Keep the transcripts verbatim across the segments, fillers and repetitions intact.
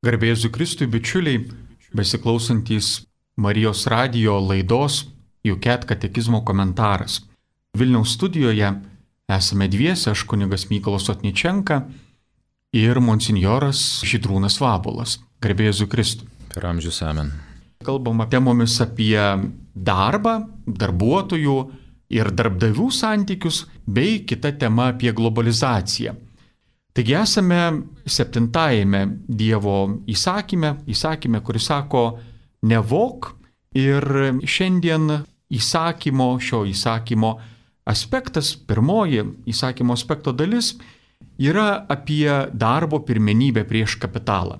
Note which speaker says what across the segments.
Speaker 1: Garbė Jėzui Kristui, bičiuliai, besiklausantys Marijos radijo laidos Juket katekizmo komentaras. Vilniaus studijoje esame dviese, aš kunigas Mykolas Otničenka ir monsinjoras Žydrūnas Vabuolas. Garbė Jėzui Kristui.
Speaker 2: Per amžius amen.
Speaker 1: Kalbama temomis apie darbą, darbuotojų ir darbdavių santykius, bei kita tema apie globalizaciją. Taigi esame septintajame Dievo įsakyme, įsakyme, kuris sako nevok, ir šiandien įsakymo, šio įsakymo aspektas, pirmoji įsakymo aspekto dalis yra apie darbo pirmenybę prieš kapitalą.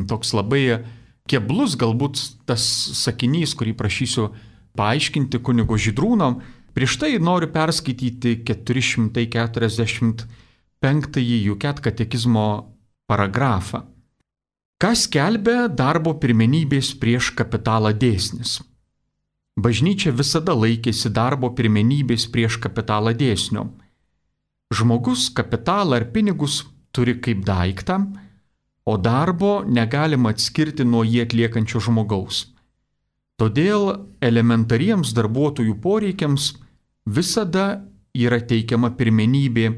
Speaker 1: Toks labai keblus galbūt tas sakinys, kurį prašysiu paaiškinti kunigo Žydrūno. Prieš tai noriu perskaityti keturi šimtai keturiasdešimt penktąjį Juket katekizmo paragrafą. Kas skelbia darbo pirmenybės prieš kapitalą dėsnis? Bažnyčia visada laikėsi darbo pirmenybės prieš kapitalą dėsnio. Žmogus kapitalą ar pinigus turi kaip daiktą, o darbo negalima atskirti nuo jį atliekančio žmogaus. Todėl elementariems darbuotojų poreikiams visada yra teikiama pirmenybė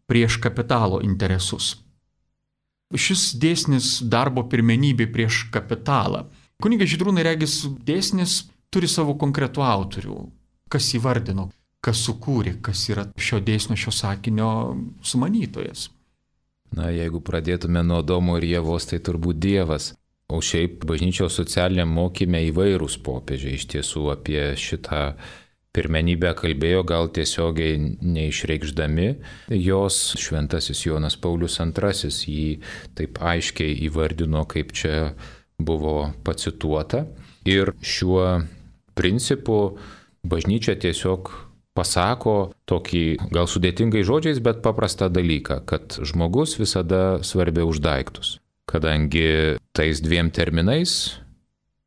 Speaker 1: prieš kapitalo interesus. Šis dėsnis darbo pirmenybė prieš kapitalą. Kunigas Žydrūnai, regis, dėsnis turi savo konkretų autorių. Kas įvardino, kas sukūrė, kas yra šio dėsnio, šio sakinio sumanytojas.
Speaker 2: Na, jeigu pradėtume nuo Adomo ir Ievos, tai turbūt Dievas. O šiaip bažnyčios socialiniam mokyme įvairūs popiežiai iš tiesų apie šitą pirmenybę kalbėjo, gal tiesiogiai neišreikšdami. Jos šventasis Jonas Paulius antrasis jį taip aiškiai įvardino, kaip čia buvo pacituota. Ir šiuo principu bažnyčia tiesiog pasako tokį, gal sudėtingai žodžiais, bet paprastą dalyką, kad žmogus visada svarbiau už daiktus. Kadangi tais dviem terminais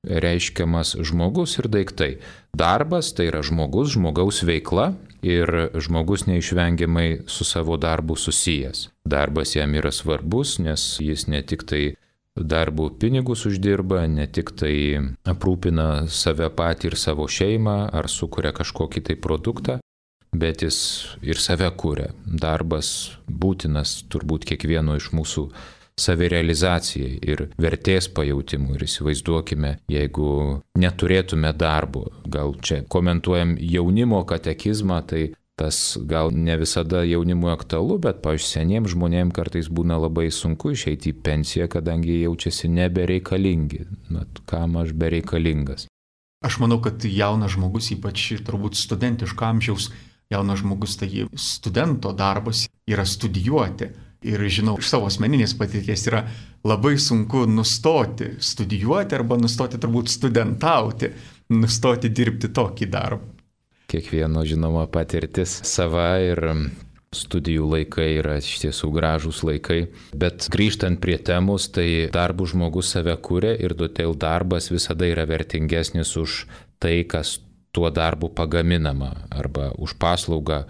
Speaker 2: reiškiamas žmogus ir daiktai. Darbas tai yra žmogus, žmogaus veikla ir žmogus neišvengiamai su savo darbu susijęs. Darbas jam yra svarbus, nes jis ne tik tai darbų pinigus uždirba, ne tik tai aprūpina save patį ir savo šeimą ar sukuria kažkokį tai produktą, bet jis ir save kuria. Darbas būtinas turbūt kiekvieno iš mūsų savirealizacijai ir vertės pajautimui. Ir įsivaizduokime, jeigu neturėtume darbo, gal čia komentuojam jaunimo katekizmą, tai tas gal ne visada jaunimui aktualu, bet, pavyzdžiui, seniems žmonėms kartais būna labai sunku išeiti į pensiją, kadangi jaučiasi nebereikalingi. Mat, kam aš bereikalingas?
Speaker 1: Aš manau, kad jaunas žmogus, ypač turbūt studentiško amžiaus jaunas žmogus, tai studento darbas yra studijuoti. Ir žinau, iš savo asmeninės patirties yra labai sunku nustoti studijuoti arba nustoti turbūt studentauti, nustoti dirbti tokį darbą.
Speaker 2: Kiekvieno žinoma patirtis sava ir studijų laikai yra iš tiesų gražūs laikai. Bet grįžtant prie temos, tai darbų žmogus save kuria ir todėl darbas visada yra vertingesnis už tai, kas tuo darbu pagaminama arba už paslaugą,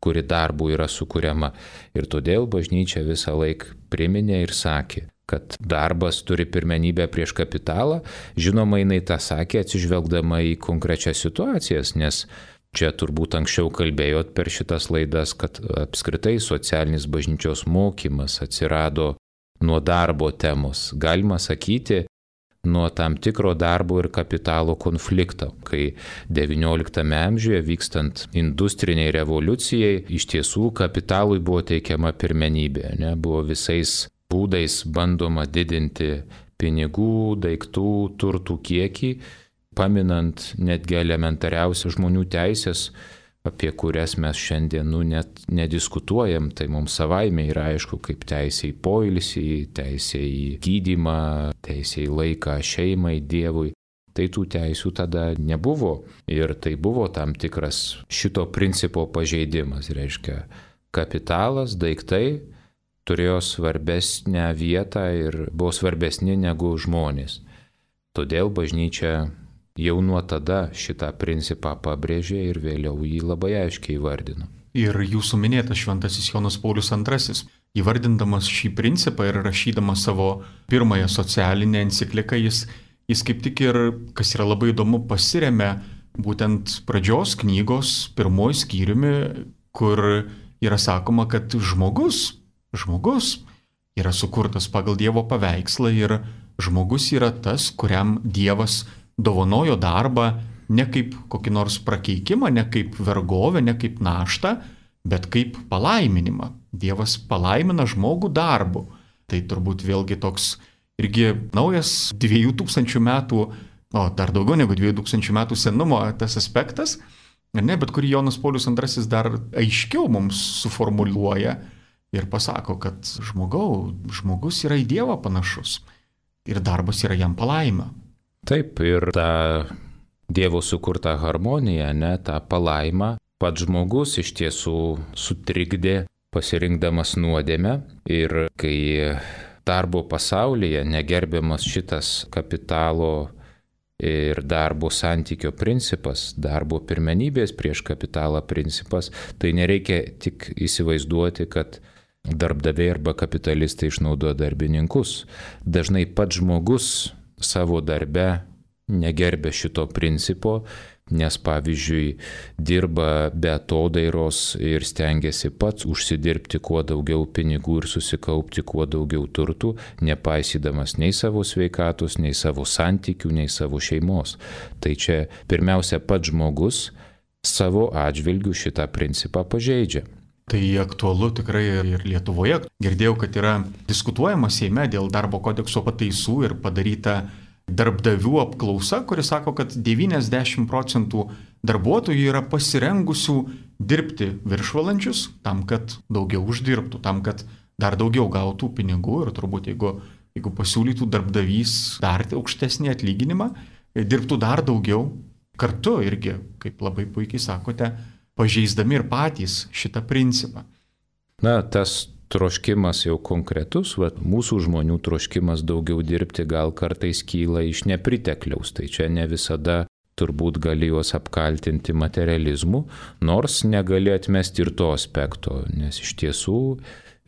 Speaker 2: kuri darbų yra sukuriama. Ir todėl bažnyčia visą laiką priminė ir sakė, kad darbas turi pirmenybę prieš kapitalą. Žinoma, jinai tą sakė atsižvelgdama į konkrečias situacijas, nes čia turbūt anksčiau kalbėjot per šitas laidas, kad apskritai socialinis bažnyčios mokymas atsirado nuo darbo temos. Galima sakyti, nuo tam tikro darbo ir kapitalo konflikto, kai devynioliktame amžiuje vykstant industriniai revoliucijai iš tiesų kapitalui buvo teikiama pirmenybė, ne? Buvo visais būdais bandoma didinti pinigų, daiktų, turtų kiekį, paminant netgi elementariausias žmonių teisės, apie kurias mes šiandien nu, net nediskutuojam, tai mums savaime yra aišku, kaip teisė į poilsį, teisė į gydymą, teisė į laiką šeimai, Dievui. Tai tų teisių tada nebuvo ir tai buvo tam tikras šito principo pažeidimas. Reiškia, kapitalas, daiktai turėjo svarbesnę vietą ir buvo svarbesni negu žmonės. Todėl bažnyčia jau nuo tada šitą principą pabrėžė ir vėliau jį labai aiškiai įvardino.
Speaker 1: Ir jūsų minėtas šventasis Jonas Paulius antrasis. įvardindamas šį principą ir rašydamas savo pirmąją socialinę encikliką, jis, jis kaip tik ir, kas yra labai įdomu, pasiremia būtent pradžios knygos pirmoji skyriumi, kur yra sakoma, kad žmogus, žmogus yra sukurtas pagal Dievo paveikslą ir žmogus yra tas, kuriam Dievas dovanojo darbą ne kaip kokį nors prakeikimą, ne kaip vergovę, ne kaip naštą, bet kaip palaiminimą. Dievas palaimina žmogų darbu. Tai turbūt vėlgi toks irgi naujas dviejų tūkstančių metų, o dar daugiau negu dviejų tūkstančių metų senumo tas aspektas, ne, bet kurį Jonas Paulius antrasis dar aiškiau mums suformuluoja ir pasako, kad žmogau, žmogus yra į Dievą panašus ir darbas yra jam palaima.
Speaker 2: Taip, ir ta Dievo sukurta harmonija, ne, ta palaima, pats žmogus iš tiesų sutrikdė pasirinkdamas nuodėmę ir kai darbo pasaulyje negerbiamas šitas kapitalo ir darbo santykio principas, darbo pirmenybės prieš kapitalą principas, tai nereikia tik įsivaizduoti, kad darbdaviai arba kapitalistai išnaudoja darbininkus. Dažnai pats žmogus savo darbe negerbė šito principo, nes pavyzdžiui dirba be atodairos ir stengiasi pats užsidirbti kuo daugiau pinigų ir susikaupti kuo daugiau turtų, nepaisydamas nei savo sveikatos, nei savo santykių, nei savo šeimos. Tai čia pirmiausia pats žmogus savo atžvilgių šitą principą pažeidžia.
Speaker 1: Tai aktualu tikrai ir Lietuvoje. Girdėjau, kad yra diskutuojama Seime dėl darbo kodekso pataisų ir padaryta darbdavių apklausa, kuri sako, kad devyniasdešimt procentų darbuotojų yra pasirengusių dirbti viršvalandžius tam, kad daugiau uždirbtų, tam, kad dar daugiau gautų pinigų ir turbūt jeigu, jeigu pasiūlytų darbdavys dar aukštesnį atlyginimą, dirbtų dar daugiau kartu irgi, kaip labai puikiai sakote, pažeisdami ir patys šitą principą.
Speaker 2: Na, tas troškimas jau konkretus, va, mūsų žmonių troškimas daugiau dirbti gal kartais kyla iš nepritekliaus, tai čia ne visada turbūt gali juos apkaltinti materializmu, nors negali atmesti ir to aspekto, nes iš tiesų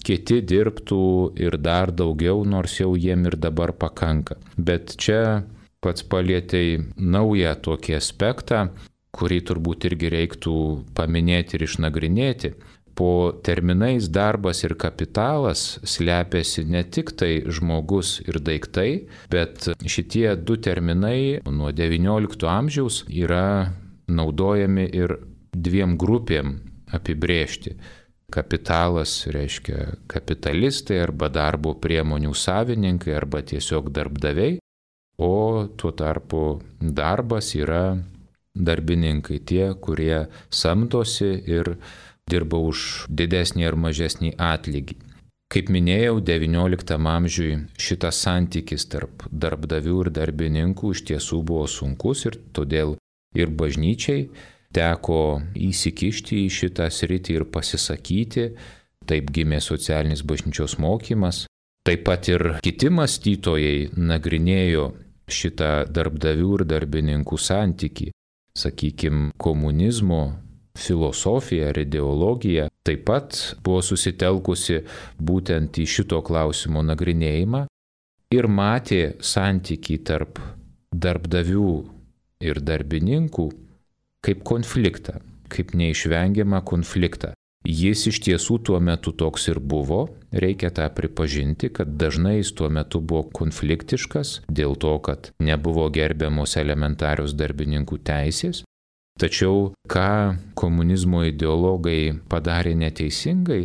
Speaker 2: kiti dirbtų ir dar daugiau, nors jau jiem ir dabar pakanka. Bet čia pats palietei naują tokį aspektą, kurį turbūt irgi reiktų paminėti ir išnagrinėti. Po terminais darbas ir kapitalas slepiasi ne tik tai žmogus ir daiktai, bet šitie du terminai nuo devyniolikto amžiaus yra naudojami ir dviem grupėm apibrėžti. Kapitalas reiškia kapitalistai arba darbo priemonių savininkai arba tiesiog darbdaviai, o tuo tarpu darbas yra darbininkai, tie, kurie samdosi ir dirba už didesnį ar mažesnį atlygį. Kaip minėjau, devynioliktam amžiui šitas santykis tarp darbdavių ir darbininkų iš tiesų buvo sunkus ir todėl ir bažnyčiai teko įsikišti į šitą sritį ir pasisakyti. Taip gimė socialinis bažnyčios mokymas. Taip pat ir kiti mąstytojai nagrinėjo šitą darbdavių ir darbininkų santykį. Sakykime, komunizmo filosofija ar ideologija taip pat buvo susitelkusi būtent į šito klausimo nagrinėjimą ir matė santykį tarp darbdavių ir darbininkų kaip konfliktą, kaip neišvengiamą konfliktą. Jis iš tiesų tuo metu toks ir buvo, reikia tą pripažinti, kad dažnai jis tuo metu buvo konfliktiškas dėl to, kad nebuvo gerbiamos elementarios darbininkų teisės. Tačiau ką komunizmo ideologai padarė neteisingai,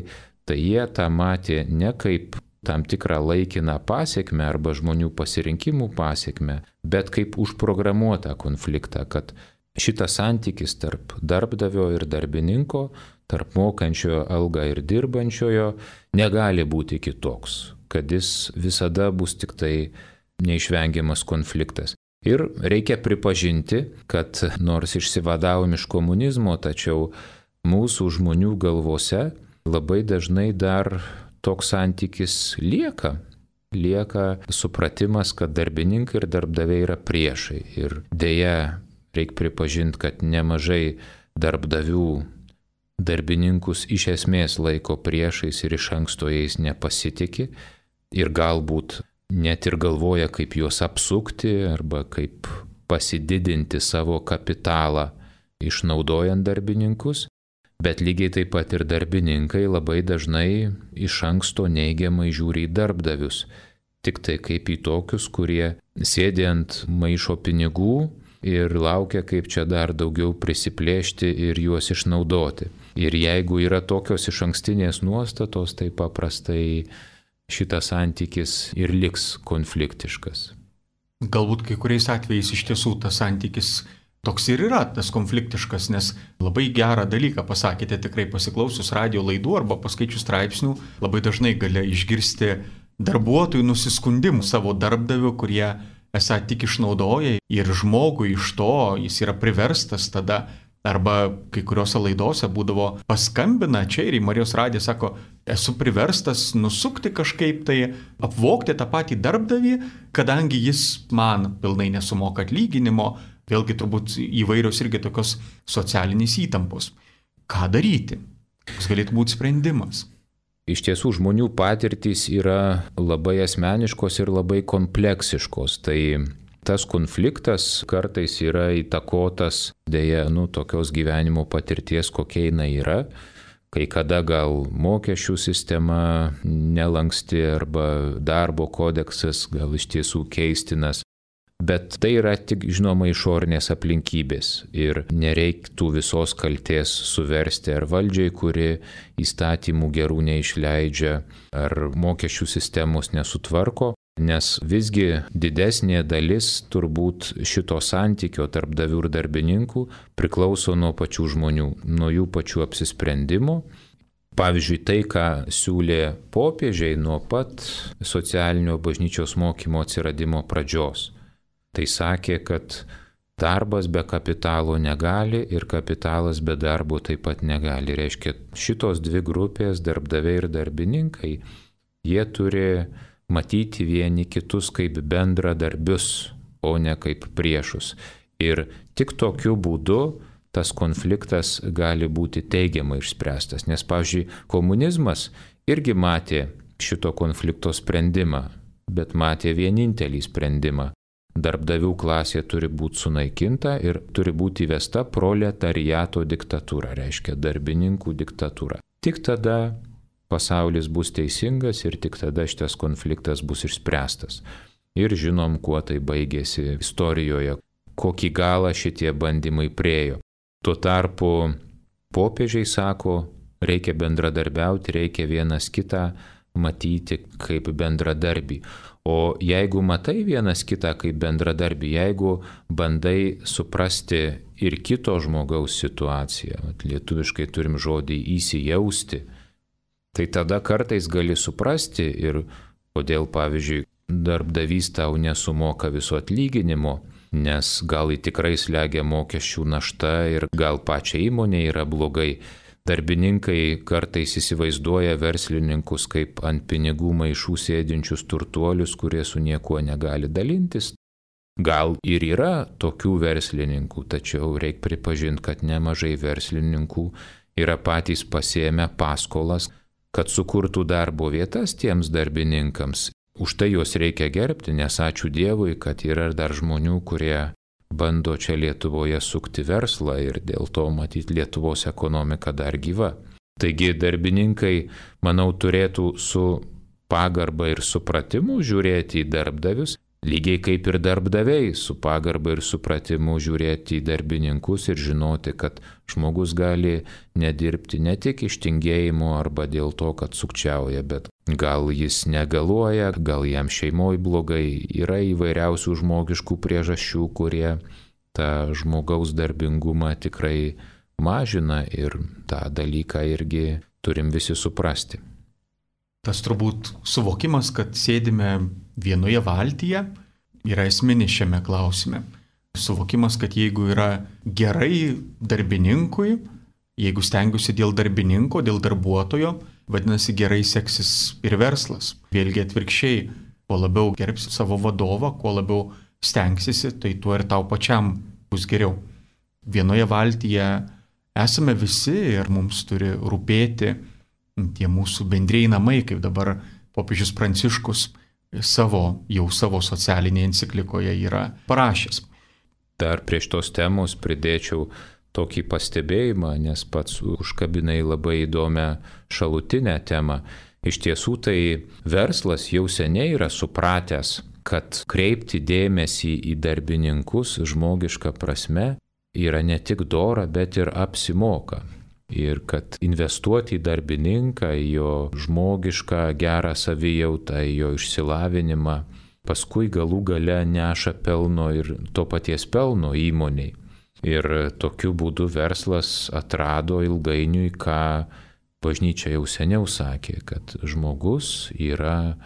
Speaker 2: tai jie tą matė ne kaip tam tikrą laikiną pasiekmę arba žmonių pasirinkimų pasiekmę, bet kaip užprogramuotą konfliktą, kad šitas santykis tarp darbdavio ir darbininko, tarp mokančiojo algą ir dirbančiojo negali būti kitoks, kad jis visada bus tik tai neišvengiamas konfliktas. Ir reikia pripažinti, kad nors išsivadavom iš komunizmo, tačiau mūsų žmonių galvose labai dažnai dar toks santykis lieka. Lieka supratimas, kad darbininkai ir darbdaviai yra priešai. Ir deja, reikia pripažinti, kad nemažai darbdavių darbininkus iš esmės laiko priešais ir iš anksto jais nepasitikė ir galbūt net ir galvoja, kaip juos apsukti arba kaip pasididinti savo kapitalą išnaudojant darbininkus, bet lygiai taip pat ir darbininkai labai dažnai iš anksto neigiamai žiūri į darbdavius, tik tai kaip į tokius, kurie sėdi ant maišo pinigų ir laukia, kaip čia dar daugiau prisiplėšti ir juos išnaudoti. Ir jeigu yra tokios iš ankstinės nuostatos, tai paprastai šitas santykis ir liks konfliktiškas.
Speaker 1: Galbūt kai kuriais atvejais iš tiesų tas santykis toks ir yra, tas konfliktiškas, nes labai gerą dalyką pasakėte, tikrai pasiklausius radio laidų arba paskaičius straipsnių, labai dažnai gali išgirsti darbuotojų nusiskundimų savo darbdavių, kurie esą tik išnaudoja ir žmogui iš to jis yra priverstas tada, arba kai kuriuose laidose būdavo paskambina čia ir į Marijos radiją, sako, esu priverstas nusukti kažkaip tai, apvogti tą patį darbdavį, kadangi jis man pilnai nesumoka atlyginimo, vėlgi turbūt įvairios irgi tokios socialinės įtampos. Ką daryti? Koks galėtų būti sprendimas?
Speaker 2: Iš tiesų žmonių patirtys yra labai asmeniškos ir labai kompleksiškos. Tai tas konfliktas kartais yra įtakotas dėja, nu, tokios gyvenimo patirties, kokia jinai yra. Kai kada gal mokesčių sistema nelanksti arba darbo kodeksas gal iš tiesų keistinas. Bet tai yra tik, žinoma, išorinės aplinkybės ir nereiktų visos kaltės suversti ar valdžiai, kuri įstatymų gerų neišleidžia, ar mokesčių sistemos nesutvarko, nes visgi didesnė dalis turbūt šito santykio tarp darbdavių ir darbininkų priklauso nuo pačių žmonių, nuo jų pačių apsisprendimo. Pavyzdžiui, tai, ką siūlė popiežiai nuo pat socialinio bažnyčios mokymo atsiradimo pradžios. Tai sakė, kad darbas be kapitalo negali ir kapitalas be darbo taip pat negali. Reiškia, šitos dvi grupės, darbdaviai ir darbininkai, jie turi matyti vieni kitus kaip bendradarbius, o ne kaip priešus. Ir tik tokiu būdu tas konfliktas gali būti teigiamai išspręstas. Nes, pavyzdžiui, komunizmas irgi matė šito konflikto sprendimą, bet matė vienintelį sprendimą. Darbdavių klasė turi būti sunaikinta ir turi būti įvesta proletariato diktatūra, reiškia darbininkų diktatūra. Tik tada pasaulis bus teisingas ir tik tada šitas konfliktas bus išspręstas. Ir žinom, kuo tai baigėsi istorijoje, kokį galą šitie bandymai priejo. Tuo tarpu popiežiai sako, reikia bendradarbiauti, reikia vienas kitą matyti kaip bendradarbį. O jeigu matai vienas kitą kaip bendradarbį, jeigu bandai suprasti ir kito žmogaus situaciją, lietuviškai turim žodį įsijausti, tai tada kartais gali suprasti ir kodėl, pavyzdžiui, darbdavys tau nesumoka viso atlyginimo, nes gal į tikrai slegia mokesčių našta ir gal pačia įmonė yra blogai. Darbininkai kartais įsivaizduoja verslininkus kaip ant pinigų maišų sėdinčius turtuolius, kurie su niekuo negali dalintis. Gal ir yra tokių verslininkų, tačiau reikia pripažinti, kad nemažai verslininkų yra patys pasiėmę paskolas, kad sukurtų darbo vietas tiems darbininkams. Už tai juos reikia gerbti, nes ačiū Dievui, kad yra dar žmonių, kurie bando čia Lietuvoje sukti verslą ir dėl to matyti Lietuvos ekonomika dar gyva. Taigi darbininkai, manau, turėtų su pagarba ir supratimu žiūrėti į darbdavius, lygiai kaip ir darbdaviai su pagarba ir supratimu žiūrėti į darbininkus ir žinoti, kad žmogus gali nedirbti ne tik iš tingėjimo arba dėl to, kad sukčiauja, bet gal jis negaluoja, gal jam šeimoje blogai, yra įvairiausių žmogiškų priežasčių, kurie tą žmogaus darbingumą tikrai mažina ir tą dalyką irgi turim visi suprasti.
Speaker 1: Tas turbūt suvokimas, kad sėdime vienoje valtyje, yra esminis šiame klausime. Suvokimas, kad jeigu yra gerai darbininkui, jeigu stengiuosi dėl darbininko, dėl darbuotojo, vadinasi gerai seksis ir verslas. Vėlgi atvirkščiai, kuo labiau gerbsi savo vadovą, kuo labiau stengsiesi, tai tuo ir tau pačiam bus geriau. Vienoje valtyje esame visi ir mums turi rūpėti tie mūsų bendrieji namai, kaip dabar popiežius Pranciškus savo, jau savo socialinėje enciklikoje yra parašęs.
Speaker 2: Dar prieš tos temos pridėčiau tokį pastebėjimą, nes pats užkabinai labai įdomią šalutinę temą. Iš tiesų tai verslas jau seniai yra supratęs, kad kreipti dėmesį į darbininkus žmogiška prasme yra ne tik dora, bet ir apsimoka. Ir kad investuoti į darbininką, į jo žmogišką gerą savijautą, į jo išsilavinimą, paskui galų gale neša pelno ir to paties pelno įmoniai. Ir tokiu būdu verslas atrado ilgainiui, ką bažnyčia jau seniau sakė, kad žmogus yra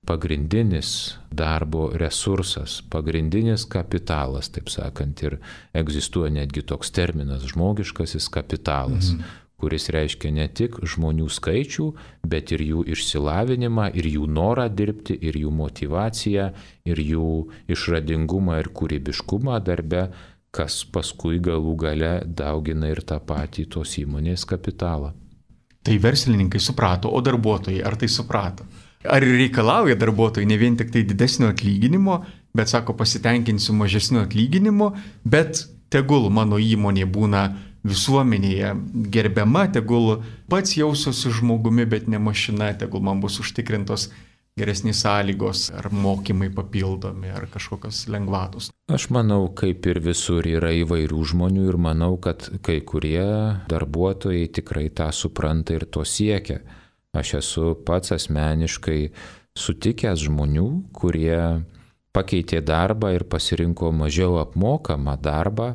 Speaker 2: pagrindinis darbo resursas, pagrindinis kapitalas, taip sakant, ir egzistuoja netgi toks terminas žmogiškasis kapitalas, mhm. kuris reiškia ne tik žmonių skaičių, bet ir jų išsilavinimą, ir jų norą dirbti, ir jų motyvaciją, ir jų išradingumą ir kūrybiškumą darbe, kas paskui galų gale daugina ir tą patį tos įmonės kapitalą.
Speaker 1: Tai verslininkai suprato, o darbuotojai ar tai suprato? Ar reikalauja darbuotojai ne vien tik tai didesnio atlyginimo, bet sako pasitenkinsiu mažesniu atlyginimu, bet tegul mano įmonė būna visuomenėje gerbiama, tegul pats jausiuosi žmogumi, bet ne mašina, tegul man bus užtikrintos geresnės sąlygos, ar mokymai papildomi, ar kažkokios lengvatos.
Speaker 2: Aš manau, kaip ir visur yra įvairių žmonių ir manau, kad kai kurie darbuotojai tikrai tą supranta ir to siekia. Aš esu pats asmeniškai sutikęs žmonių, kurie pakeitė darbą ir pasirinko mažiau apmokamą darbą,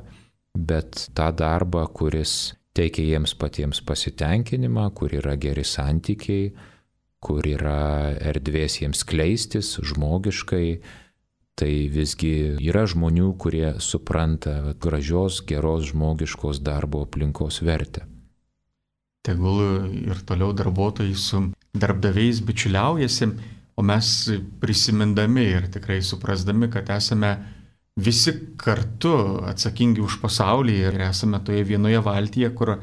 Speaker 2: bet tą darbą, kuris teikia jiems patiems pasitenkinimą, kur yra geri santykiai, kur yra erdvės jiems skleistis žmogiškai, tai visgi yra žmonių, kurie supranta gražios, geros žmogiškos darbo aplinkos vertę.
Speaker 1: Tegul ir toliau darbuotojai su darbdaviais bičiuliaujasi, o mes prisimindami ir tikrai suprasdami, kad esame visi kartu atsakingi už pasaulį ir esame toje vienoje valtyje, kur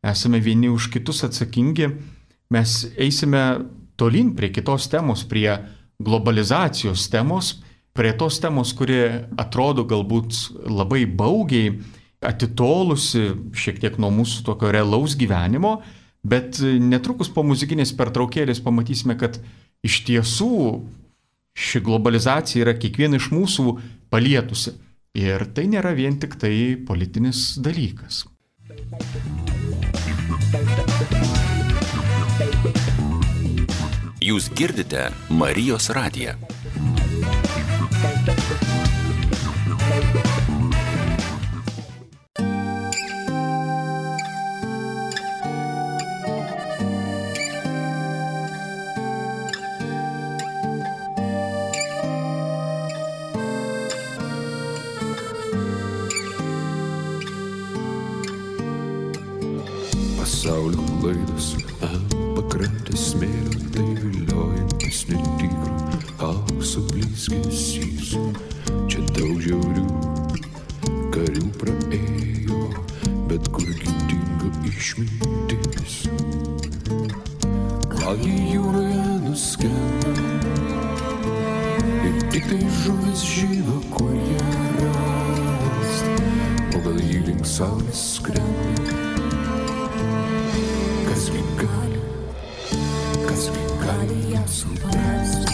Speaker 1: esame vieni už kitus atsakingi, mes eisime tolyn prie kitos temos, prie globalizacijos temos, prie tos temos, kuri atrodo galbūt labai baugiai, atitolusi šiek tiek nuo mūsų tokio realaus gyvenimo, bet netrukus po muzikinės pertraukėlės pamatysime, kad iš tiesų ši globalizacija yra kiekvieną iš mūsų palietusi. Ir tai nėra vien tik tai politinis dalykas.
Speaker 3: Jūs girdite Marijos radiją.
Speaker 4: Pasaulio laidos ant pakrantės smėlio, tai viliojantis netikro aukso blizgesys. Čia daug žiaurių karių praėjo, bet kurgi dingo išmintis. Gal jie jūroje nuskendo ir tik tai žuvis žino, kur ją rast, o gal jį link saulės skrenda. Kasgi gali, kasgi gali ją suprasti.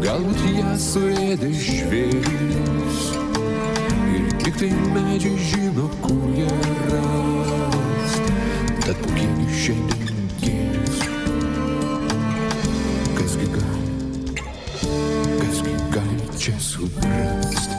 Speaker 4: Galbūt jas suėdė žvėris ir tik tai medžiai žino, kur jie rast. Tad pūkėgi šiandien gėris. Kasgi gali, kasgi gali čia suprast.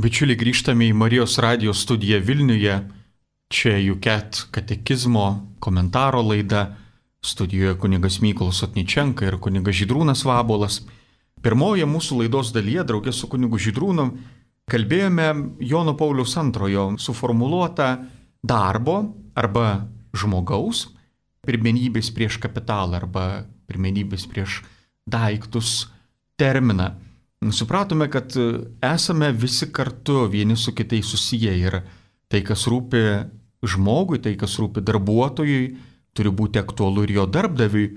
Speaker 1: Bičiuliai, grįžtame į Marijos radijo studiją Vilniuje. Čia U C A T katekizmo komentaro laida. Studijoje kunigas Mykolas Otničenka ir kunigas Žydrūnas Vabolas. Pirmoje mūsų laidos dalyje, draugė su kunigu Žydrūnu, kalbėjome Jono Pauliaus antrojo suformuluotą darbo arba žmogaus pirmenybės prieš kapitalą arba pirmenybės prieš daiktus terminą. Supratome, kad esame visi kartu vieni su kitais susiję ir tai, kas rūpi žmogui, tai, kas rūpi darbuotojui, turi būti aktualu ir jo darbdaviui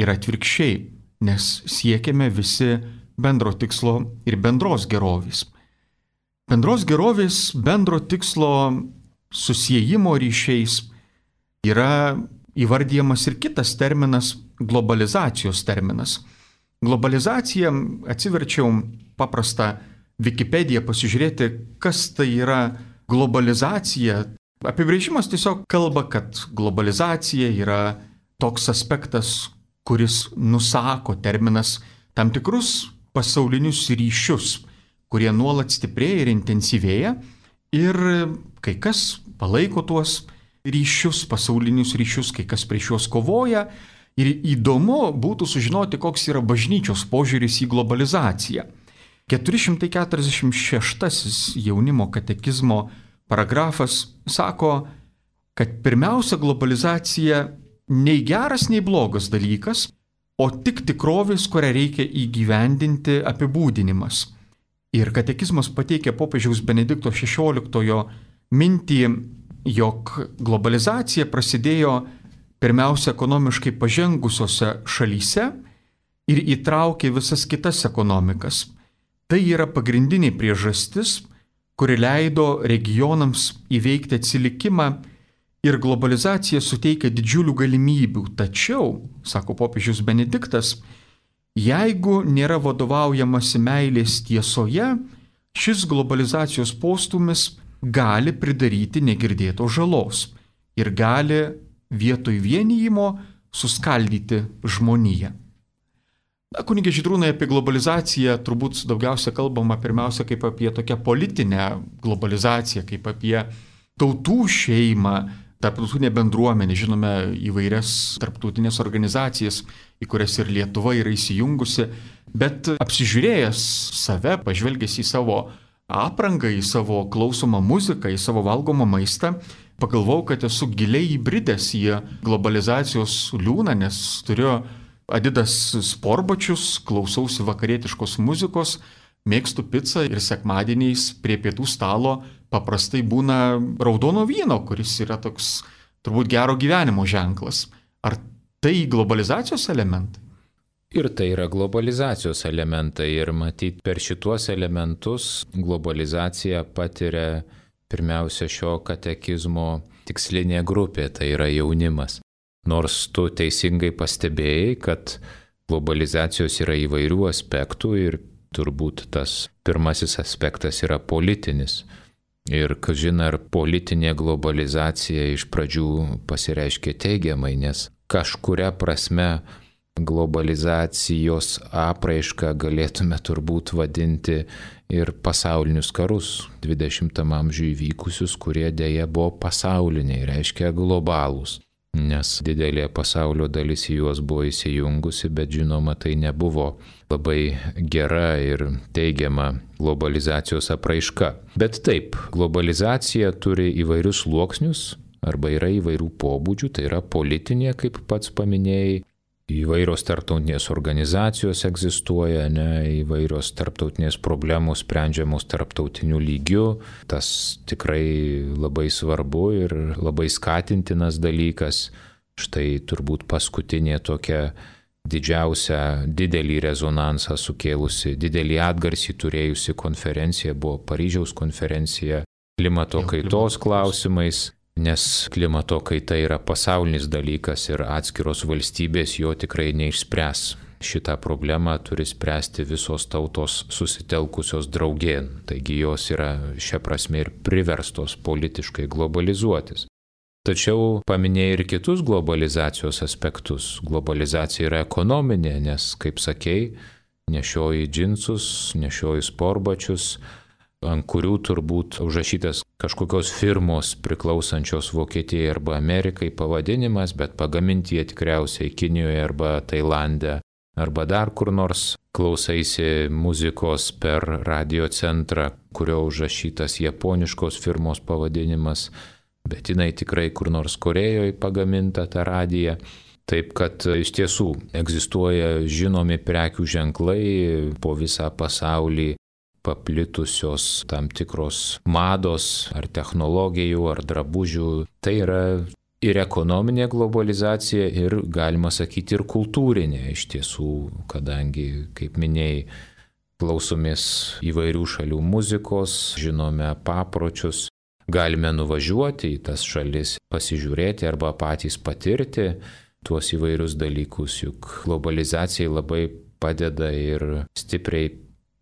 Speaker 1: ir atvirkščiai, nes siekiame visi bendro tikslo ir bendros gerovės. Bendros gerovės, bendro tikslo susiejimo ryšiais yra įvardyjamas ir kitas terminas – globalizacijos terminas. Globalizacija, atsiverčiau paprastą Wikipediją pasižiūrėti, kas tai yra globalizacija. Apibrėžimas tiesiog kalba, kad globalizacija yra toks aspektas, kuris nusako terminas tam tikrus pasaulinius ryšius, kurie nuolat stiprėja ir intensyvėja ir kai kas palaiko tuos ryšius, pasaulinius ryšius, kai kas prieš juos kovoja. Ir įdomu būtų sužinoti, koks yra bažnyčios požiūris į globalizaciją. keturi šimtai keturiasdešimt šeštasis jaunimo katekizmo paragrafas sako, kad pirmiausia globalizacija nei geras, nei blogas dalykas, o tik tikrovės, kurią reikia įgyvendinti apibūdinimas. Ir katekizmas pateikia popiežiaus Benedikto šešioliktojo mintį, jog globalizacija prasidėjo pirmiausia ekonomiškai pažengusiose šalyse ir įtraukė visas kitas ekonomikas. Tai yra pagrindinė priežastis, kuri leido regionams įveikti atsilikimą ir globalizacija suteikia didžiulių galimybių. Tačiau, sako popiežius Benediktas, jeigu nėra vadovaujamasi meilės tiesoje, šis globalizacijos postūmis gali pridaryti negirdėtos žalos ir gali vietoj vienijimo suskaldyti žmoniją. Na, kunige Žydrūnai, apie globalizaciją turbūt daugiausia kalbama pirmiausia kaip apie tokią politinę globalizaciją, kaip apie tautų šeimą, tarptautinę bendruomenę, žinome įvairias tarptautinės organizacijas, į kurias ir Lietuva yra įsijungusi, bet apsižiūrėjęs save, pažvelgęs į savo aprangą, į savo klausomą muziką, į savo valgomą maistą, pagalvojau, kad esu giliai įbridęs į globalizacijos liūną, nes turiu Adidas sportbačius, klausausi vakarietiškos muzikos, mėgstu pizzą ir sekmadieniais prie pietų stalo paprastai būna raudono vyno, kuris yra toks turbūt gero gyvenimo ženklas. Ar tai globalizacijos elementai?
Speaker 2: Ir tai yra globalizacijos elementai ir matyt per šituos elementus globalizacija patiria pirmiausia šio katekizmo tikslinė grupė, tai yra jaunimas. Nors tu teisingai pastebėjai, kad globalizacijos yra įvairių aspektų ir turbūt tas pirmasis aspektas yra politinis. Ir, kažin, ar politinė globalizacija iš pradžių pasireiškė teigiamai, nes kažkuria prasme globalizacijos apraišką galėtume turbūt vadinti ir pasaulinius karus dvidešimtam amžiuje įvykusius, kurie dėja buvo pasauliniai, reiškia globalūs. nes didelė pasaulio dalis į juos buvo įsijungusi, bet žinoma, tai nebuvo labai gera ir teigiama globalizacijos apraiška. Bet taip, globalizacija turi įvairius sluoksnius arba yra įvairių pobūdžių, tai yra politinė, kaip pats paminėjai, įvairios tarptautinės organizacijos egzistuoja, ne, įvairios tarptautinės problemos sprendžiamos tarptautiniu lygiu. Tas tikrai labai svarbu ir labai skatintinas dalykas. Štai turbūt paskutinė tokia didžiausia, didelį rezonansą sukėlusi, didelį atgarsį turėjusi konferencija buvo Paryžiaus konferencija klimato kaitos klausimais. Nes klimato kaita yra pasaulinis dalykas ir atskiros valstybės jo tikrai neišspręs. Šitą problemą turi spręsti visos tautos susitelkusios draugėn, taigi jos yra šia prasme ir priverstos politiškai globalizuotis. Tačiau paminėjai ir kitus globalizacijos aspektus. Globalizacija yra ekonominė, nes, kaip sakei, nešioji džinsus, nešioji sportbačius, ant kurių turbūt užrašytas kažkokios firmos priklausančios Vokietijai arba Amerikai pavadinimas, bet pagaminti jie tikriausiai Kinijoje arba Tailande, arba dar kur nors. Klausaisi muzikos per radio centrą, kurio užrašytas japoniškos firmos pavadinimas, bet jinai tikrai kur nors Korejoje pagaminta ta radija. Taip kad iš tiesų egzistuoja žinomi prekių ženklai po visą pasaulį, paplitusios tam tikros mados ar technologijų ar drabužių. Tai yra ir ekonominė globalizacija ir, galima sakyti, ir kultūrinė iš tiesų, kadangi, kaip minėjai, klausomės įvairių šalių muzikos, žinome papročius, galime nuvažiuoti į tas šalis, pasižiūrėti arba patys patirti tuos įvairius dalykus, juk globalizacijai labai padeda ir stipriai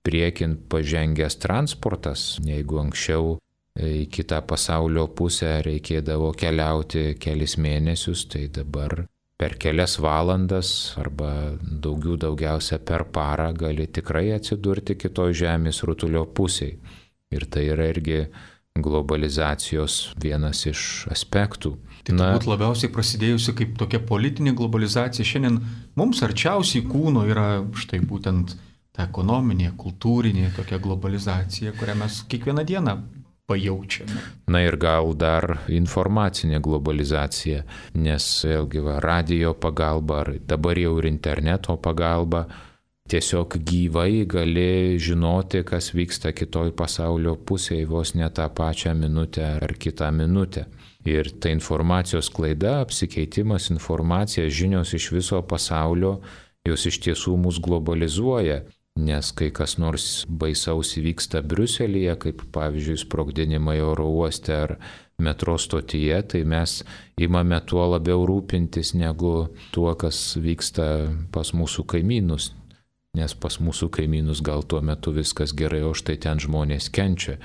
Speaker 2: priekin pažengęs transportas. Jeigu anksčiau į kitą pasaulio pusę reikėdavo keliauti kelis mėnesius, tai dabar per kelias valandas arba daugiau daugiausia per parą gali tikrai atsidurti kitoj žemės rutulio pusėje. Ir tai yra irgi globalizacijos vienas iš aspektų.
Speaker 1: Tai turbūt labiausiai prasidėjusi kaip tokia politinė globalizacija šiandien mums arčiausiai kūno yra štai būtent ta ekonominė, kultūrinė tokia globalizacija, kurią mes kiekvieną dieną pajaučiame.
Speaker 2: Na ir gal dar informacinė globalizacija, nes vėlgi va, radio pagalba, ar dabar jau ir interneto pagalba, tiesiog gyvai gali žinoti, kas vyksta kitoj pasaulio pusėje vos ne tą pačią minutę ar kitą minutę. Ir ta informacijos klaida, apsikeitimas informacija, žinios iš viso pasaulio, jos iš tiesų mus globalizuoja. Nes kai kas nors baisaus įvyksta Briuselyje, kaip pavyzdžiui sprogdinimai oro uoste ar metro stotyje, tai mes imame tuo labiau rūpintis negu tuo, kas vyksta pas mūsų kaimynus. Nes pas mūsų kaimynus gal tuo metu viskas gerai, o štai ten žmonės kenčia.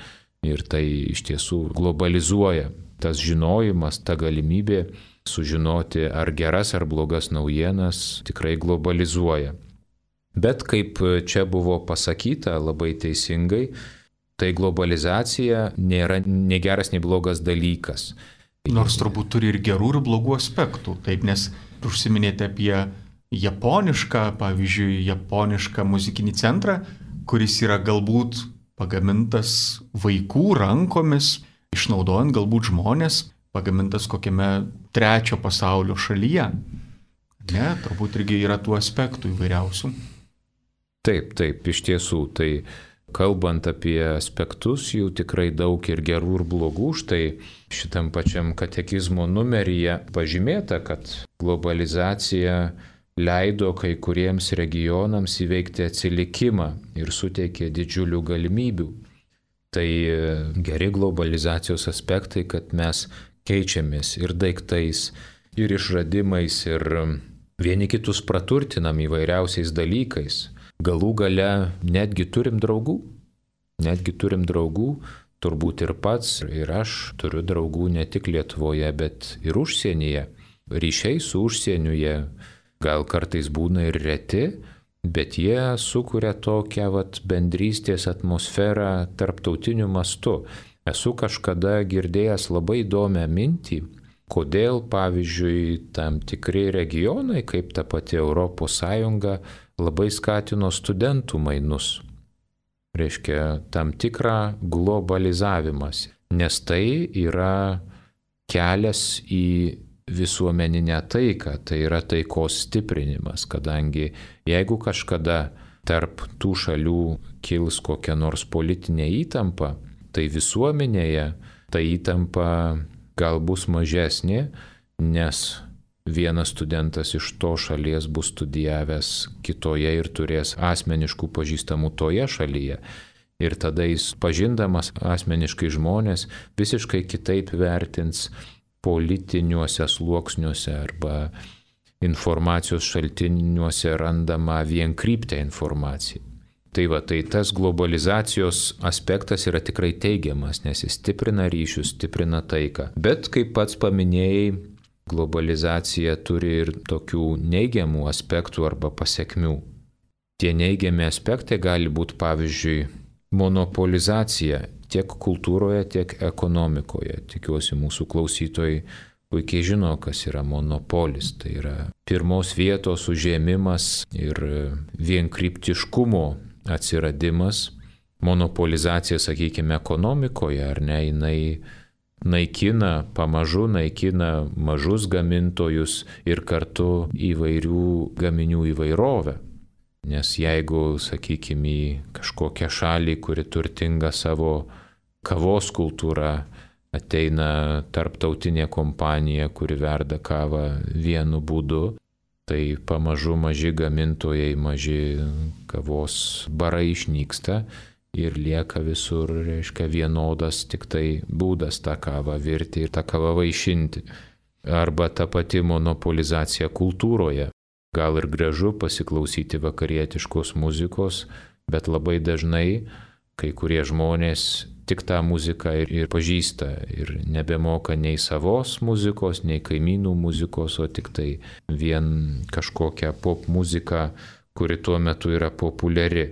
Speaker 2: Ir tai iš tiesų globalizuoja. Tas žinojimas, ta galimybė sužinoti ar geras ar blogas naujienas tikrai globalizuoja. Bet kaip čia buvo pasakyta labai teisingai, tai globalizacija nėra nei geras, nei blogas dalykas.
Speaker 1: Nors turbūt turi ir gerų, ir blogų aspektų. Taip, nes užsiminėte apie japonišką, pavyzdžiui, japonišką muzikinį centrą, kuris yra galbūt pagamintas vaikų rankomis, išnaudojant galbūt žmonės, pagamintas kokiame trečio pasaulio šalyje. Ne, turbūt irgi yra tų aspektų įvairiausių.
Speaker 2: Taip, taip, iš tiesų, tai kalbant apie aspektus, jų tikrai daug ir gerų, ir blogų. Štai šitam pačiam katekizmo numeryje pažymėta, kad globalizacija leido kai kuriems regionams įveikti atsilikimą ir suteikė didžiulių galimybių. Tai geri globalizacijos aspektai, kad mes keičiamės ir daiktais, ir išradimais, ir vieni kitus praturtinam įvairiausiais dalykais. Galų gale netgi turim draugų, netgi turim draugų, turbūt ir pats, ir aš turiu draugų ne tik Lietuvoje, bet ir užsienyje. Ryšiai su užsieniu jie gal kartais būna ir reti, bet jie sukuria tokią vat, bendrystės atmosferą tarptautiniu mastu. Esu kažkada girdėjęs labai įdomią mintį, kodėl, pavyzdžiui, tam tikri regionai, kaip ta pati Europos Sąjunga, labai skatino studentų mainus. Reiškia, tam tikrą globalizavimas, nes tai yra kelias į visuomeninę taiką, tai yra taikos stiprinimas, kadangi jeigu kažkada tarp tų šalių kils kokia nors politinė įtampa, tai visuomenėje ta įtampa gal bus mažesnė, nes vienas studentas iš to šalies bus studijavęs kitoje ir turės asmeniškų pažįstamų toje šalyje. Ir tada jis, pažindamas asmeniškai žmonės, visiškai kitaip vertins politiniuose sluoksniuose arba informacijos šaltiniuose randamą vienkryptę informaciją. Tai va, tai tas globalizacijos aspektas yra tikrai teigiamas, nes jis stiprina ryšius, stiprina taiką. Bet, kaip pats paminėjai, globalizacija turi ir tokių neigiamų aspektų arba pasekmių. Tie neigiami aspektai gali būti, pavyzdžiui, monopolizacija tiek kultūroje, tiek ekonomikoje. Tikiuosi, mūsų klausytojai puikiai žino, kas yra monopolis. Tai yra pirmos vietos užėmimas ir vienkryptiškumo atsiradimas. Monopolizacija, sakykime, ekonomikoje, ar ne, jinai naikina, pamažu naikina mažus gamintojus ir kartu įvairių gaminių įvairovę. Nes jeigu, sakykime, į kažkokią šalį, kuri turtinga savo kavos kultūrą, ateina tarptautinė kompanija, kuri verda kavą vienu būdu, tai pamažu maži gamintojai, maži kavos barai išnyksta ir lieka visur, reiškia, vienodas tik tai būdas tą kavą virti ir tą kavą vaišinti. Arba ta pati monopolizacija kultūroje. Gal ir gražu pasiklausyti vakarietiškos muzikos, bet labai dažnai kai kurie žmonės tik tą muziką ir, ir pažįsta ir nebemoka nei savos muzikos, nei kaimynų muzikos, o tik tai vien kažkokią pop muziką, kuri tuo metu yra populiari.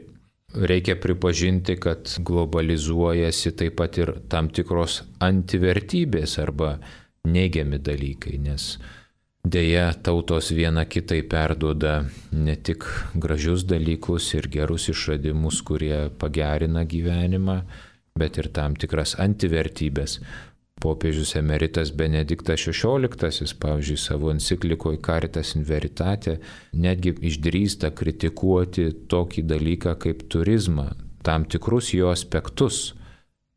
Speaker 2: Reikia pripažinti, kad globalizuojasi taip pat ir tam tikros antivertybės arba neigiami dalykai, nes deja tautos viena kitai perduoda ne tik gražius dalykus ir gerus išradimus, kurie pagerina gyvenimą, bet ir tam tikras antivertybės. Popiežius emeritas Benediktas šešioliktasis, pavyzdžiui, savo enciklikoje Caritas in Veritate, netgi išdrįsta kritikuoti tokį dalyką kaip turizmą, tam tikrus jo aspektus,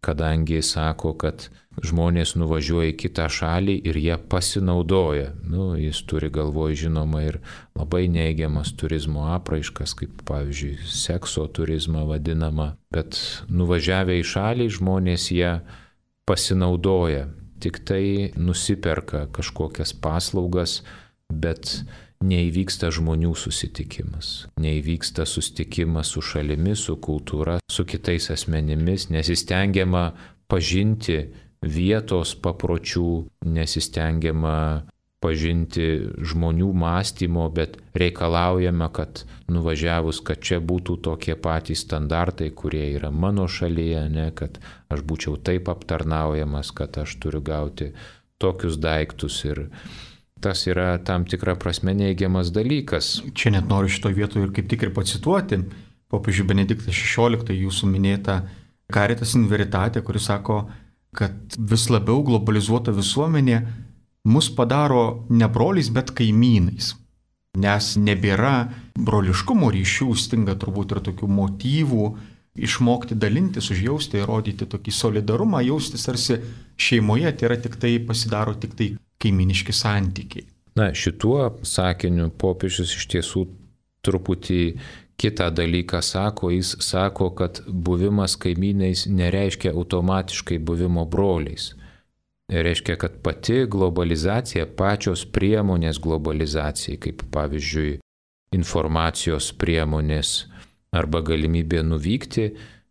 Speaker 2: kadangi sako, kad žmonės nuvažiuoja į kitą šalį ir jie pasinaudoja. Nu, jis turi galvoje, žinoma, ir labai neigiamas turizmo apraiškas, kaip pavyzdžiui, sekso turizmą vadinama, bet nuvažiavę į šalį žmonės jie pasinaudoja, tik tai nusiperka kažkokias paslaugas, bet neįvyksta žmonių susitikimas, neįvyksta susitikimas su šalimi, su kultūra, su kitais asmenimis, nesistengiama pažinti vietos papročių, nesistengiama pažinti žmonių mąstymo, bet reikalaujama, kad nuvažiavus, kad čia būtų tokie patys standartai, kurie yra mano šalyje, ne, kad aš būčiau taip aptarnaujamas, kad aš turiu gauti tokius daiktus ir tas yra tam tikra prasme neigiamas dalykas.
Speaker 1: Čia net noriu šito vietoje ir kaip tik ir pacituoti popiežių Benediktą šešioliktąjį, jūsų minėtą Caritas in Veritate, kuris sako, kad vis labiau globalizuota visuomenė mus padaro ne broliais, bet kaimynais. Nes nebėra broliškumo ryšių, stinga turbūt ir tokių motyvų išmokti dalintis, užjausti, rodyti tokį solidarumą, jaustis tarsi šeimoje, tai yra tik tai pasidaro tik tai kaiminiški santykiai.
Speaker 2: Na, šituo sakiniu popiežius iš tiesų truputį kitą dalyką sako. Jis sako, kad buvimas kaimynais nereiškia automatiškai buvimo broliais. Reiškia, kad pati globalizacija, pačios priemonės globalizacijai, kaip pavyzdžiui informacijos priemonės arba galimybė nuvykti,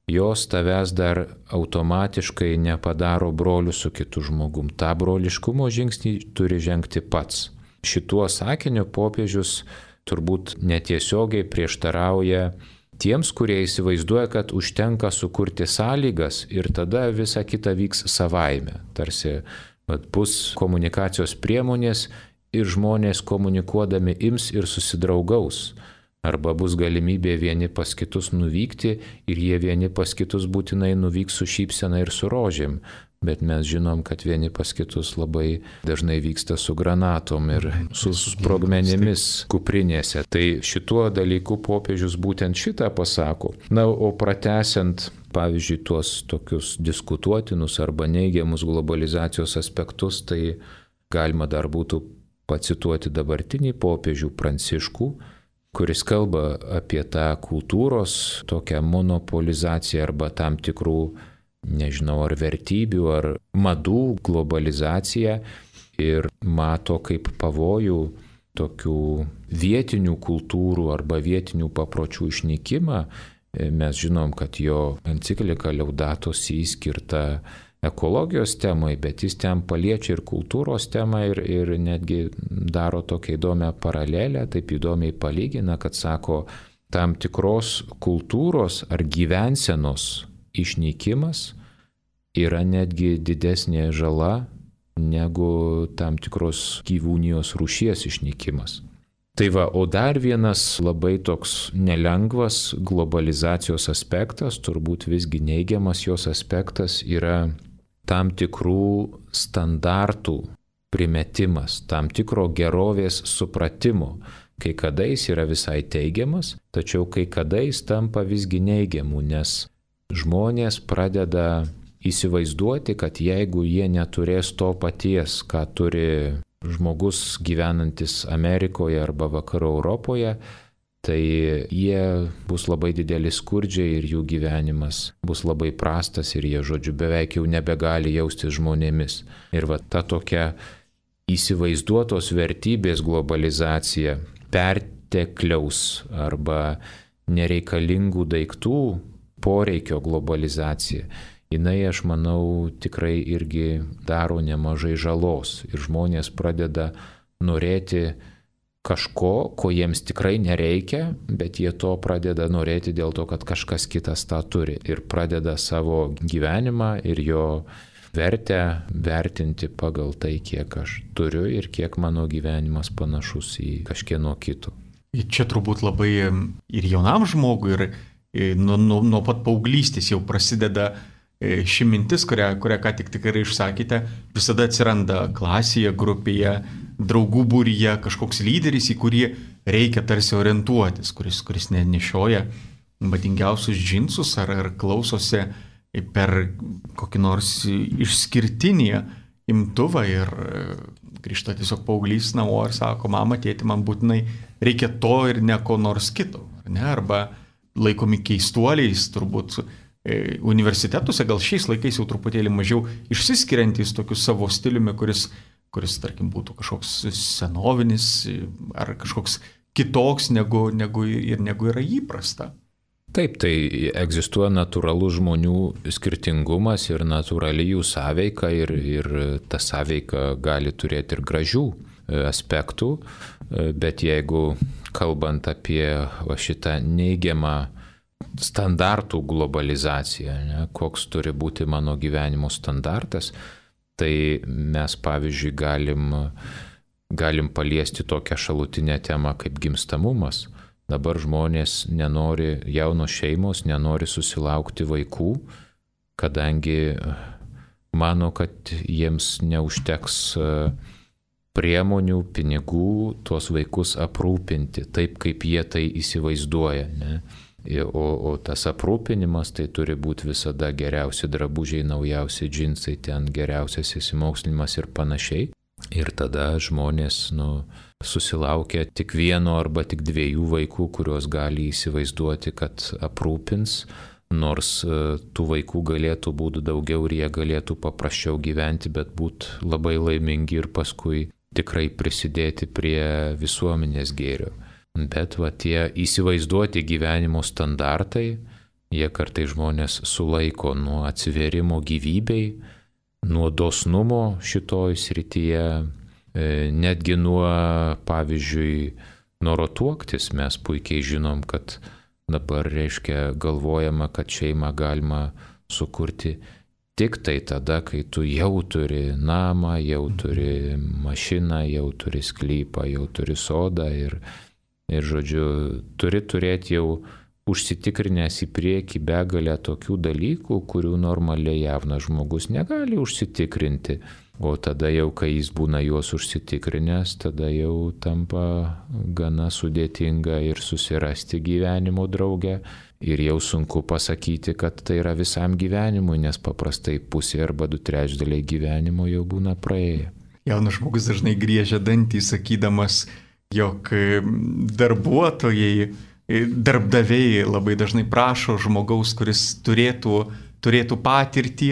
Speaker 2: jos tavęs dar automatiškai nepadaro brolių su kitu žmogum. Ta broliškumo žingsnį turi žengti pats. Šituo sakiniu popiežius turbūt netiesiogiai prieštarauja tiems, kurie įsivaizduoja, kad užtenka sukurti sąlygas ir tada visa kita vyks savaime. Tarsi Vat bus komunikacijos priemonės ir žmonės komunikuodami ims ir susidraugaus. Arba bus galimybė vieni pas kitus nuvykti ir jie vieni pas kitus būtinai nuvyks su šypsena ir su rožėm. Bet mes žinom, kad vieni pas kitus labai dažnai vyksta su granatom ir su sprogmenimis kuprinėse. Tai šituo dalyku popiežius būtent šitą pasako. Na, o pratęsiant, pavyzdžiui, tuos tokius diskutuotinus arba neigiamus globalizacijos aspektus, tai galima dar būtų pacituoti dabartinį popiežių Pranciškų, kuris kalba apie tą kultūros tokią monopolizaciją arba tam tikrų, nežinau, ar vertybių, ar madų globalizaciją ir mato kaip pavojų tokių vietinių kultūrų arba vietinių papročių išnykimą. Mes žinom, kad jo enciklika Laudato Si skirta ekologijos temai, bet jis ten paliečia ir kultūros temą ir, ir netgi daro tokią įdomią paralelę, taip įdomiai palygina, kad sako, tam tikros kultūros ar gyvensenos išnykimas yra netgi didesnė žala negu tam tikros gyvūnijos rūšies išnykimas. Tai va, o dar vienas labai toks nelengvas globalizacijos aspektas, turbūt visgi neigiamas jos aspektas, yra tam tikrų standartų primetimas, tam tikro gerovės supratimo. Kai kada jis yra visai teigiamas, tačiau kai kada jis tampa visgi neigiamu, nes žmonės pradeda įsivaizduoti, kad jeigu jie neturės to paties, ką turi žmogus gyvenantis Amerikoje arba Vakarų Europoje, tai jie bus labai dideli skurdžiai ir jų gyvenimas bus labai prastas ir jie, žodžiu, beveik jau nebegali jaustis žmonėmis. Ir va ta tokia įsivaizduotos vertybės globalizacija, pertekliaus arba nereikalingų daiktų poreikio globalizacija, jinai, aš manau, tikrai irgi daro nemažai žalos ir žmonės pradeda norėti kažko, ko jiems tikrai nereikia, bet jie to pradeda norėti dėl to, kad kažkas kitas tą turi ir pradeda savo gyvenimą ir jo vertę vertinti pagal tai, kiek aš turiu ir kiek mano gyvenimas panašus į kažkieno kito.
Speaker 1: Čia turbūt labai ir jaunam žmogui, ir nuo, nuo, nuo pat paauglystės jau prasideda ši mintis, kurią, kurią ką tik tikrai išsakėte, visada atsiranda klasėje, grupėje, draugų būryje kažkoks lyderis, į kurį reikia tarsi orientuotis, kuris, kuris nešioja madingiausius džinsus ar, ar klausosi per kokį nors išskirtinį imtuvą ir grįžta tiesiog paauglys namo ir sako, mama, tėti, man būtinai reikia to ir ne ko nors kito. Ar ne? Arba laikomi keistuoliais, turbūt universitetuose, gal šiais laikais jau truputėlį mažiau išsiskiriantys tokiu savo stiliumi, kuris, kuris tarkim, būtų kažkoks senovinis ar kažkoks kitoks negu, negu, ir negu yra įprasta.
Speaker 2: Taip, tai egzistuoja natūralus žmonių skirtingumas ir natūrali jų sąveika ir, ir ta sąveika gali turėti ir gražių aspektų, bet jeigu kalbant apie va, šitą neigiamą standartų globalizaciją, ne, koks turi būti mano gyvenimo standartas, tai mes pavyzdžiui galim, galim paliesti tokią šalutinę temą kaip gimstamumas. Dabar žmonės nenori, jaunos šeimos nenori susilaukti vaikų, kadangi mano, kad jiems neužteks priemonių, pinigų tuos vaikus aprūpinti taip, kaip jie tai įsivaizduoja. Ne? O, o tas aprūpinimas tai turi būti visada geriausi drabužiai, naujausi džinsai, ten geriausias įsimokslinimas ir panašiai. Ir tada žmonės nu, susilaukia tik vieno arba tik dviejų vaikų, kuriuos gali įsivaizduoti, kad aprūpins, nors tų vaikų galėtų būti daugiau ir jie galėtų paprasčiau gyventi, bet būti labai laimingi ir paskui tikrai prisidėti prie visuomenės gėrio. Bet va tie įsivaizduoti gyvenimo standartai, jie kartai žmonės sulaiko nuo atsivėrimo gyvybei, nuo dosnumo šitoj srityje, netgi nuo, pavyzdžiui, noro tuoktis. Mes puikiai žinom, kad dabar reiškia galvojama, kad šeimą galima sukurti tik tai tada, kai tu jau turi namą, jau turi mašiną, jau turi sklypą, jau turi sodą ir, ir žodžiu, turi turėti jau užsitikrinęs į priekį begalę tokių dalykų, kurių normaliai jaunas žmogus negali užsitikrinti. O tada jau, kai jis būna juos užsitikrinęs, tada jau tampa gana sudėtinga ir susirasti gyvenimo draugę. Ir jau sunku pasakyti, kad tai yra visam gyvenimui, nes paprastai pusė arba du trečdaliai gyvenimo jau būna praėję.
Speaker 1: Jaunas žmogus dažnai griežia dantį, sakydamas, jog darbuotojai, darbdaviai labai dažnai prašo žmogaus, kuris turėtų, turėtų patirtį.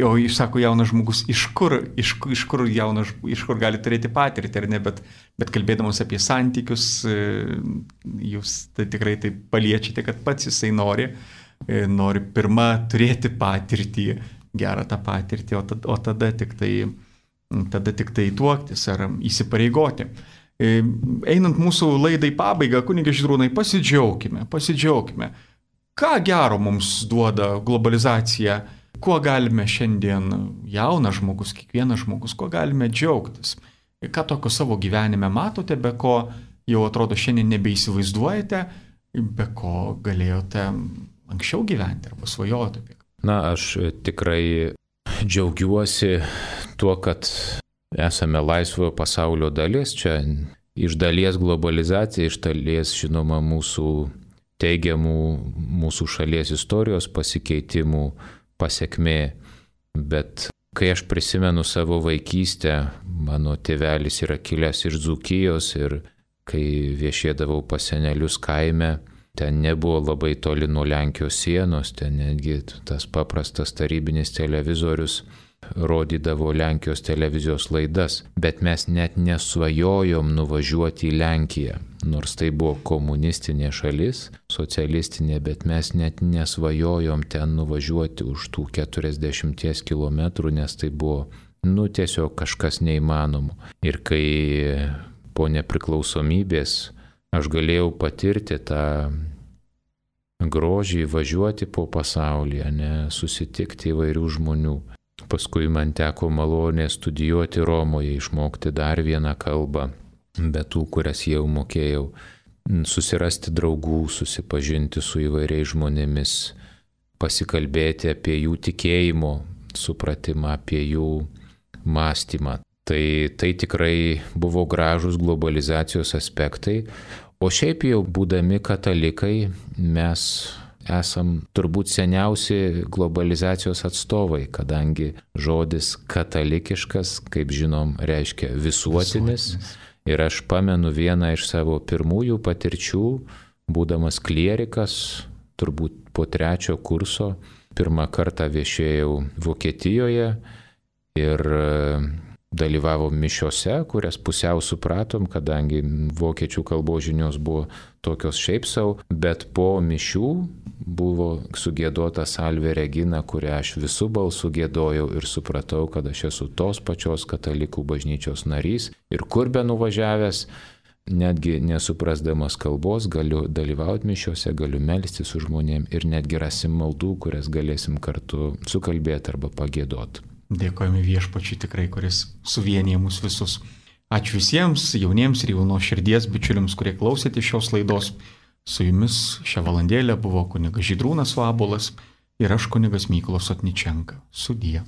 Speaker 1: O jis sako, jaunas žmogus, iš kur, iš, iš kur jaunas, iš kur gali turėti patirtį, ar ne, bet, bet kalbėdamas apie santykius, jūs tai tikrai tai paliečiate, kad pats jisai nori, nori pirmą turėti patirtį, gerą tą patirtį, o tada, o tada tik tai, tada tik tai tuoktis ar įsipareigoti. Einant mūsų laidai pabaigą, kunige Žydrūnai, pasidžiaukime, pasidžiaukime. Ką gero mums duoda globalizacija? Kuo galime šiandien, jaunas žmogus, kiekvienas žmogus, kuo galime džiaugtis? Ką tokio savo gyvenime matote, be ko jau atrodo šiandien nebeįsivaizduojate, be ko galėjote anksčiau gyventi arba svajoti?
Speaker 2: Na, aš tikrai džiaugiuosi tuo, kad esame laisvojo pasaulio dalis. Čia iš dalies globalizacija, iš dalies, žinoma, mūsų teigiamų mūsų šalies istorijos pasikeitimų pasiekmė, bet kai aš prisimenu savo vaikystę, mano tėvelis yra kilęs iš Dzūkijos ir kai viešėdavau pas senelius kaime, ten nebuvo labai toli nuo Lenkijos sienos, ten netgi tas paprastas tarybinis televizorius rodydavo Lenkijos televizijos laidas, bet mes net nesvajojom nuvažiuoti į Lenkiją. Nors tai buvo komunistinė šalis, socialistinė, bet mes net nesvajojom ten nuvažiuoti už tų keturiasdešimties kilometrų, nes tai buvo, nu, tiesiog kažkas neįmanomo. Ir kai po nepriklausomybės aš galėjau patirti tą grožį, važiuoti po pasaulį, ne, susitikti įvairių žmonių. Paskui man teko malonė studijuoti Romoje, išmokti dar vieną kalbą, be tų, kurias jau mokėjau, susirasti draugų, susipažinti su įvairiais žmonėmis, pasikalbėti apie jų tikėjimo supratimą, apie jų mąstymą. Tai, tai tikrai buvo gražus globalizacijos aspektai, o šiaip jau būdami katalikai mes esam turbūt seniausi globalizacijos atstovai, kadangi žodis katalikiškas, kaip žinom, reiškia visuotinis. visuotinis. Ir aš pamenu vieną iš savo pirmųjų patirčių, būdamas klierikas, turbūt po trečio kurso, pirmą kartą viešėjau Vokietijoje ir dalyvavom mišiose, kurias pusiau supratom, kadangi vokiečių kalbos žinios buvo tokios šiaip savo, bet po mišių buvo sugėdota Salve Regina, kurią aš visų balsų gėdojau ir supratau, kad aš esu tos pačios katalikų bažnyčios narys ir kur be nuvažiavęs, netgi nesuprasdamas kalbos, galiu dalyvauti mišiose, galiu melstis su žmonėm ir netgi rasim maldų, kurias galėsim kartu sukalbėti arba pagėdoti.
Speaker 1: Dėkojame Viešpačiui tikrai, kuris suvienyje mus visus. Ačiū visiems jauniems ir jaunos širdies bičiuliams, kurie klausėte šios laidos. Su jumis šią valandėlę buvo kunigas Žydrūnas Vabuolas ir aš kunigas Mykolas Otničenka. Sudie.